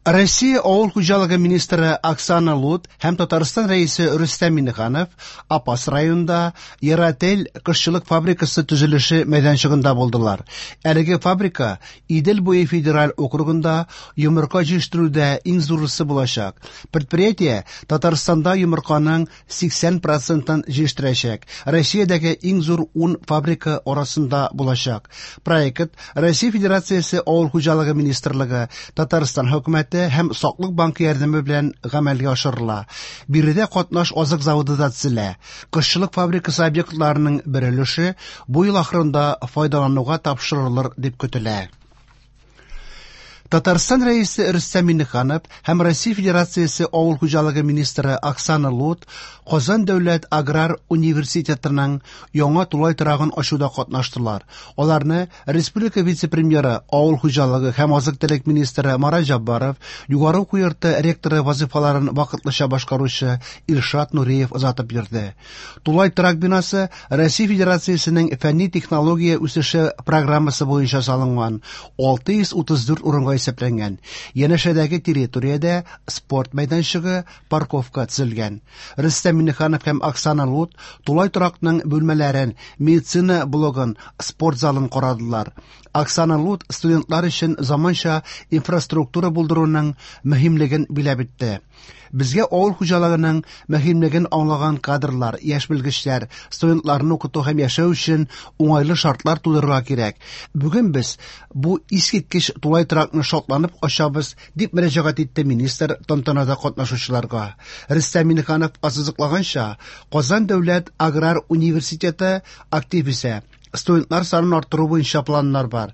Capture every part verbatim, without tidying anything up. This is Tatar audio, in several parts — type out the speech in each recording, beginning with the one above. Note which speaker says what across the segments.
Speaker 1: Россия авыл хуҗалыгы министры Оксана Лут һәм Татарстан Рәисе Рөстәм Миңнеханов Апас районында Яратель кошчылык фабрикасы төзелеше мәйданчыгында булдылар. Әлеге фабрика Идел буе федераль округында йомырка җитештерүдә иң зурысы булачак. Предприятие Татарстанда йомырканың сиксән процентын җитештерәчәк. Россиядәге иң зур ун фабрика арасында булачак. Проект Россия Федерациясе Авыл хуҗалыгы министрлыгы, Татарстан хөкүмәте һәм Саклык банкы ярдәме белән гамәлгә ашырыла. Биредә катнаш азык заводы да төзелә. Кошчылык фабрикасы объектларының бер өлеше бу ел ахырында файдалануга тапшырылыр дип көтелә. Татарстан Рәисе Рөстәм Миңнеханов һәм Россия Федерациясе Авыл хуҗалыгы министры Оксана Лут Казан дәүләт аграр университетының яңа тулай торагын ачуда катнаштылар. Аларны республика вице-премьеры, авыл хуҗалыгы һәм азык-төлек министры Марат Җаббаров, югары уку йорты ректоры вазифаларын вакытлыча башкаручы Илшат Нуриев озатып йөрде. Тулай торак бинасы Россия Федерациясенең фәнни технология үсеше программасы буенча салынган алты йөз утыз дүрт урынга исәпләнгән. Янәшәдәге территориядә спорт мәйданчыгы, парковка төзелгән. Рөстәм Миңнеханов һәм Оксана Лут тулай торакның бүлмәләрен, медицина блогын, спорт залын карадылар. Оксана Лут студентлар өчен заманча инфраструктура булдыруның мөһимлеген биләп үтте. Безгә авыл хуҗалыгының мөһимлеген аңлаган кадрлар, яшь белгечләр, студентларны укыту һәм яшәү өчен уңайлы шартлар тудырырга кирәк. Бүген без бу искиткеч тулай торакны шатланып ачабыз, дип мөрәҗәгать итте министр тантанада катнашучыларга. Рөстәм Миңнеханов ассызыклаганча, Казан дәүләт аграр университеты актив үсә. Студентлар санын арттыру буенча планнар бар.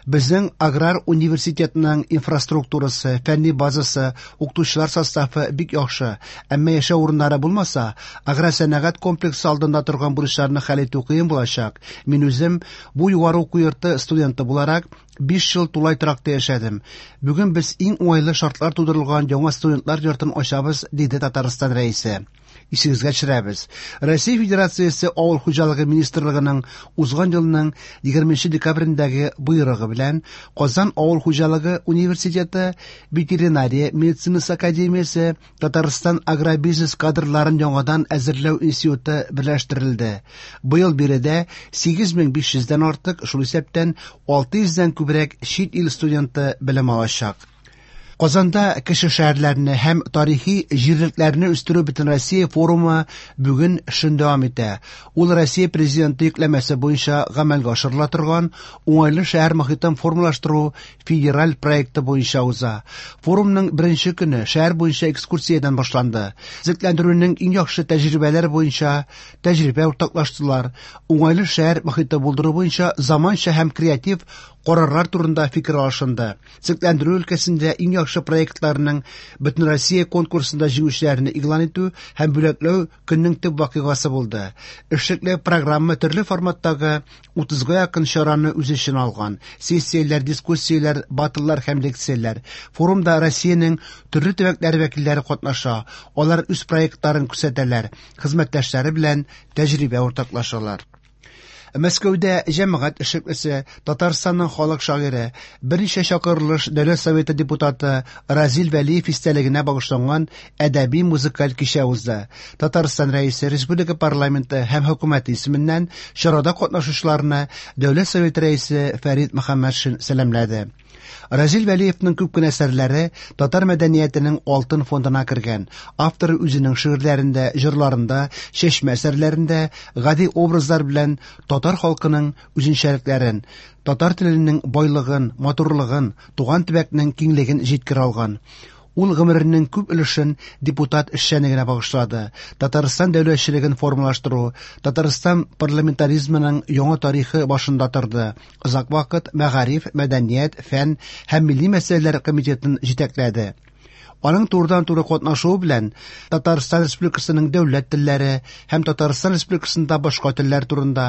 Speaker 1: Безнең аграр университетның инфраструктурасы, фәнни базасы, укытучылар составы бик яхшы. Әмма яшәү урыннары булмаса, аграр сәнәгать комплексы алдында торган бурычларны хәл итү кыен булачак. Мин үзем бу югары уку йорты студенты буларак биш ел тулай торакта яшәдем. Бүген без иң уңайлы шартлар тудырылган яңа студентлар йортын ачабыз, диде Татарстан Рәисе. Исегезгә төшерәбез. Россия Федерациясе Авыл хуҗалыгы министрлыгының узган елның егерменче декабрендәге боерыгы белән Казан Авыл хуҗалыгы университеты, Ветеринария медицинасы академиясе, Татарстан агробизнес кадрларын яңадан әзерләү институты берләштерелде. Быел биредә сигез мең биш йөздән артык, шул исәптән алты йөздән күбрәк чит ил студенты белем алачак. Казанда кеше шәһәрләрне һәм тарихи җирлекләрне үстерү Бөтенроссия форумы бүген эшен дәвам итә. Ул Россия Президенты йөкләмәсе буенча гамәлгә ашырыла торган уңайлы шәһәр мохитен формалаштыру федераль проекты буенча уза. Форумның беренче көне шәһәр буенча экскурсиядән башланды. Төзекләндерүнең иң яхшы тәҗрибәләре буенча тәҗрибә уртаклаштылар. Уңайлы шәһәр мохите булдыру буенча заманча һәм креатив карарлар турында фикер алышынды. Төзекләндерү өлкәсендә иң яхшы проектларның Бөтенроссия конкурсында җиңүчеләрне игълан итү һәм бүләкләү көннең төп вакыйгасы булды. Эшлекле программа төрле форматтагы утызга якын чараны үз эченә алган. Сессияләр, дискуссияләр, баттлар һәм лекцияләр. Форумда Россиянең төрле төбәкләре вәкилләре катнаша. Алар үз проектларын күрсәтәләр, хезмәттәшләре белән тәҗрибә уртаклашалар. Мәскәүдә җәмәгать эшлеклесе, Татарстанның халык шагыйре, берничә чакырылыш Дәүләт Советы депутаты Разил Вәлиев истәлегенә багышланган әдәби музыкаль кичә узды. Татарстан Рәисе, Республика парламенты һәм хөкүмәте исеменнән чарада катнашучыларны Дәүләт Советы Рәисе Фәрит Мөхәммәтшин сәламләде. Разил Вәлиевнең күп кенә әсәрләре татар мәдәниятенең алтын фондына кергән. Автор үзенең шигырьләрендә, җырларында, чәчмә әсәрләрендә гади образлар белән татар халкының үзенчәлекләрен, татар теленең байлыгын, матурлыгын, туган төбәкнең киңлеген җиткерә алган. Ул гомеренең күп өлешен депутат эшчәнлегенә багышлады. Татарстан дәүләтчелеген формалаштыру, Татарстан парламентаризмының яңа тарихы башында торды. Озак вакыт мәгариф, мәдәният, фән һәм милли мәсьәләләр комитетын җитәкләде. Аның турыдан-туры катнашуы белән Татарстан Республикасының дәүләт телләре һәм Татарстан Республикасында башка телләр турында,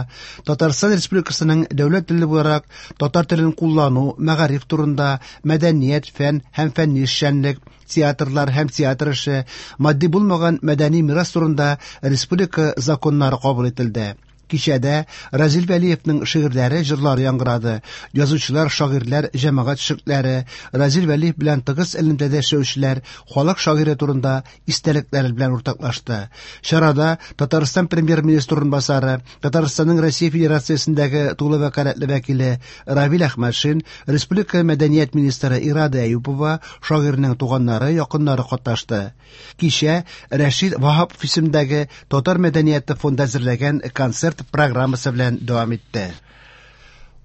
Speaker 1: Татарстан Республикасының дәүләт теле буларак татар телен куллану, мәгариф турында, мәдәният, фән һәм фәнни эшчәнлек, театрлар һәм театр эше, матди булмаган мәдәни мирас турында республика законнары кабул ителде. Кичәдә Разил Вәлиевнең шигырьләре, җырлары яңгырады. Язучылар, шагыйрьләр, җәмәгать эшлеклеләре, Разил Вәлиев белән тыгыз элемтәдә эшләүчеләр халык шагыйре турында истәлекләре белән уртаклашты. Чарада Татарстан премьер-министры урынбасары, Татарстанның Россия Федерациясендәге тулы вәкаләтле вәкиле Равил Әхмәтшин, республика мәдәният министры Ирада Әюпова, шагыйрьнең туганнары, якыннары катнашты. Кичә Рәшит Ваһапов исемендәге Татар мәдәнияте фонды әзерләгән концерт программасы белән дәвам итте.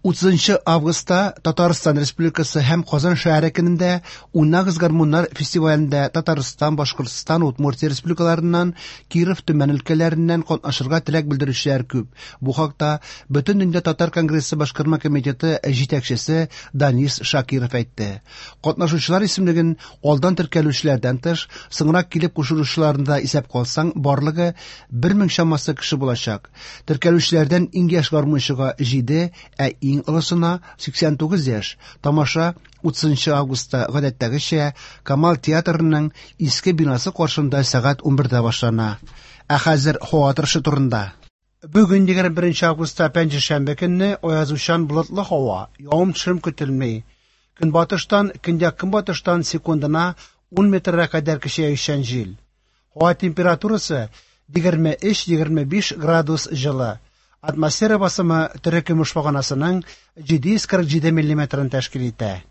Speaker 1: Утызынчы августта Татарстан Республикасы һәм Казан шәһәре көнендә Уйнагыз гармуннар фестивалендә Татарстан, Башкортстан, Удмуртия республикаларыннан, Киров, Төмән өлкәләреннән катнашырга теләк белдерүчеләр күп. Бу хакта Бөтендөнья татар конгрессы башкарма комитеты җитәкчесе Данис Шакиров әйтте. Катнашучылар исемлеген алдан теркәлүчеләрдән тыш, соңрак килеп кушылучыларны да исәпкә алсаң, барлыгы бер мең чамасы кеше булачак. Теркәлүчеләрдән иң яшь гармунчыга җиде, ә иң олысына сиксән тугыз яшь. Тамаша утызынчы августта гадәттәгечә Камал театрының иске бинасы каршында сәгать унбердә башлана. Ә хәзер һава торышы турында. Бүген егерме беренче августта пәнҗешәмбе көнне аязучан болытлы һава, явым-төшем көтелми. Көнбатыштан, көньяк-көнбатыштан секундына ун метрга кадәр көчәючән җил. Һава температурасы егерме өч-егерме биш градус җылы. Атмосфера басымы терекөмеш баганасының җиде йөз кырык җиде миллиметрын тәшкил итә.